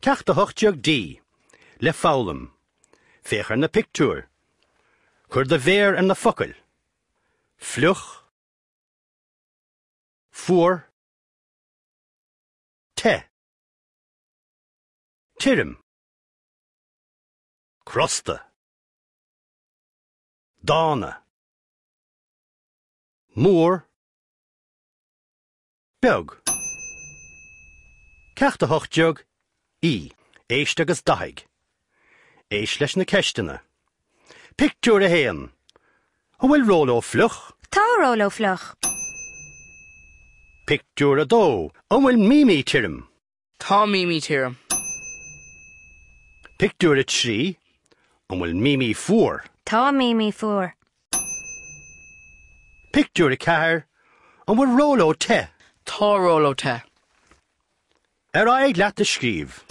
Ceacht 18D, Le foghlaim. Féach ar na pictiúir. Cuir do mhéar ar na focail. Fliuch. Fuar. Te. Tirim. Crosta. Dána. Mór. Beag. Ceacht 18 E. Éist agus dathaigh. Éist leis na ceisteanna. Pictiúr 1. An bhfuil Róló fliuch? Tá Róló fliuch. Pictiúr 2. An bhfuil Mimi tirim? Tá Mimi tirim. Pictiúr 3. An bhfuil Mimi fuar? Tá Mimi fuar. Pictiúr 4. An bhfuil Róló te? Tá Róló te. Ar aghaidh leat a scríobh.